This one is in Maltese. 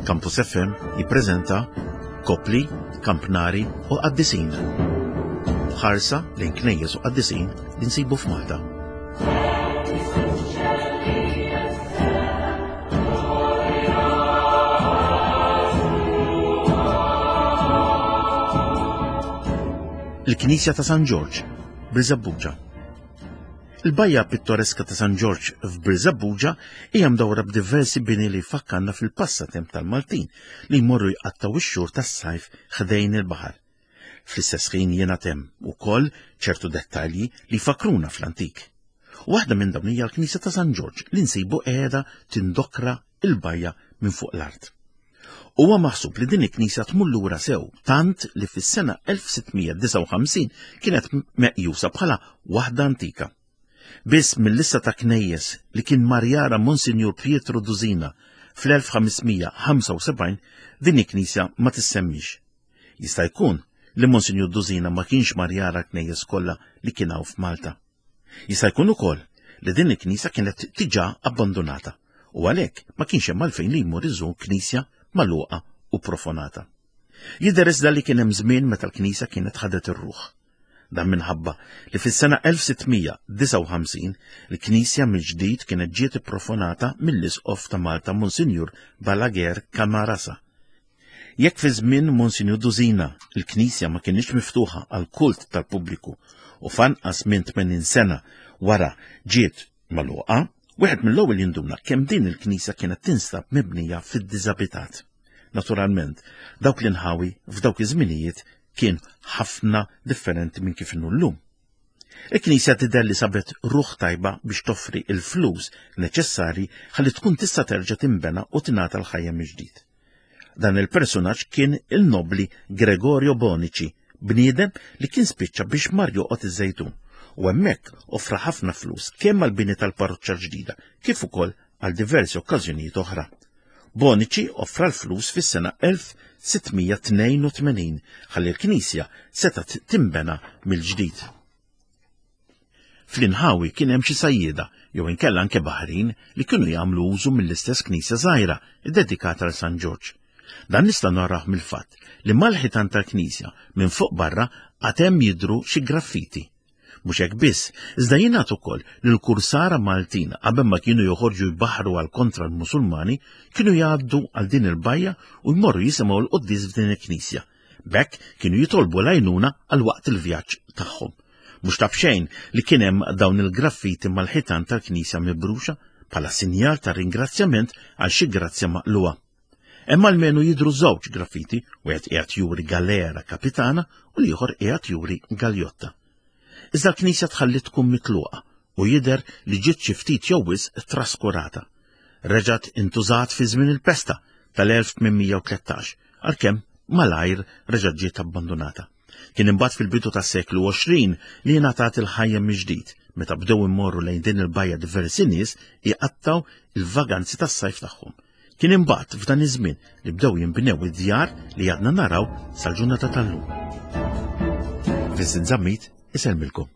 Campus FM jippreżenta Kopli, Kampnari u Qaddisin. Ħarsa lejn knejjes u qaddisin li nsibu f'Malta. Il-Knisja ta' San Ġorġ, Birżebbuġa. Il-bajja pittoreska ta' San Ġorġ f'Birżebbuġa hija mdawra b'diversi bini li jfakkarna fil-passatemp tal-Maltin li jmorru jqattgħu x-xhur tas-sajf ħdejn il-baħar. Fl-istess ħin jingħad hemm ukoll ċertu dettalji li jfakkruna fl-antik. Waħda minn dawn hija l-Knisja ta' San Ġorġ li nsibu qiegħda tindokra il-bajja minn fuq l-art. Huwa maħsub li din il-knisja tmur lura sew tant li fis-sena 1659 kienet meqjusa bħala waħda antika. Biss mill-lista ta' knejjes li kien mar jara Monsinjur Pietro Duzina fl-1575 din il-knisja ma tissemmix. Jista' jkun li Monsinjur Duzina ma kienx mar jara knejjes kollha li kien hawn f'Malta. Jista' jkun ukoll li din il-knisja kienet diġà abbandunata u għalhekk ma kienx hemm għalfejn li jmur iżur knisja magħluqa u profonata. Jidher iżda li kien hemm żmien meta l-knisja kienet ħadet ir-ruħ. Dan minħabba li fis-sena 1659 il-knisja mill-ġdid kienet ġiet ipprofonata mill-Isqof ta' Malta Monsinjur Balaguer Camarasa Jekk fi żmien Monsinjur Duzina l-knisja ma kinitx miftuħa għall-kult tal-pubbliku u f'anqas minn 80 sena wara ġiet magħluqa, wieħed mill-ewwel jinduna kemm din il-knisja kienet tinstab mibnija fid-diżabitat. Naturalment, dawk l-inħawi f'dawk iż-żminijiet kien ħafna differenti minn kif inhu llum. Il-Knisja tidher li sabet ruħ tajba biex toffri l-flus neċessarji ħalli tkun tista' terġa' tinbena u tingħata l-ħajja mill-ġdid. Dan il-persunaġġ kien il-nobbli Gregorio Bonici, bniedem li kien spiċċa biex mar joqgħod iż-Żejtun u hemmhekk offra ħafna flus kemm għall-bini tal-parroċċa l-ġdida kif ukoll għal diversi okkażjonijiet oħra. Bonici offra l-flus fis-sena 1682 ħalli l-knisja setgħet tinbena mill-ġdid. Fl-inħawi kien hemm xi sajjieda jew inkella anke baħrin li kienu jagħmlu użu mill-istess knisja żgħira ddedikata għal San Ġorġ. Dan nista' narah mill-fatt li mal-ħitan tal-knisja minn fuq barra għad hemm jidhru xi graffiti. Mhux hekk biss, iżda jingħad ukoll li l-kursara Maltin qabel ma kienu joħorġu jbaħħru għal kontra l-Musulmani kienu jgħaddu għal din il-bajja u jmorru jisimgħu l-quddies f'din il-knisja. B'hekk kienu jitolbu l-għajnuna għal waqt il-vjaġġ tagħhom. Mhux ta' b'xejn li kien hemm dawn il-graffiti mal-ħitan tal-knisja mibruxa bħala sinjal ta' ringrazzjament għal xi grazzja maqlugħa. Hemm almenu jidhru żewġ graffiti, wieħed qiegħed juri galera kapitana u l-ieħor qiegħed juri galjotta. Iżda l-knisja tħalliet tkun mitluqa u jidher li ġiet xi ftit jew wisq traskurata. Reġgħet intużat fi żmien il-pesta tal-1813, għalkemm malajr reġgħet ġiet abbandunata. Kien imbagħad fil-bidu tas-seklu 20 li ngħatat il-ħajja mill-ġdid, meta bdew immorru lejn din il-bajja diversi nies iqattgħu il-vaganzi tas-sajf tagħhom. Kien imbagħad f'dan iż-żmien li bdew jinbnew id-djar li għadna naraw sal-ġurnata tal-lum. Vincent Zammit isellmilkom.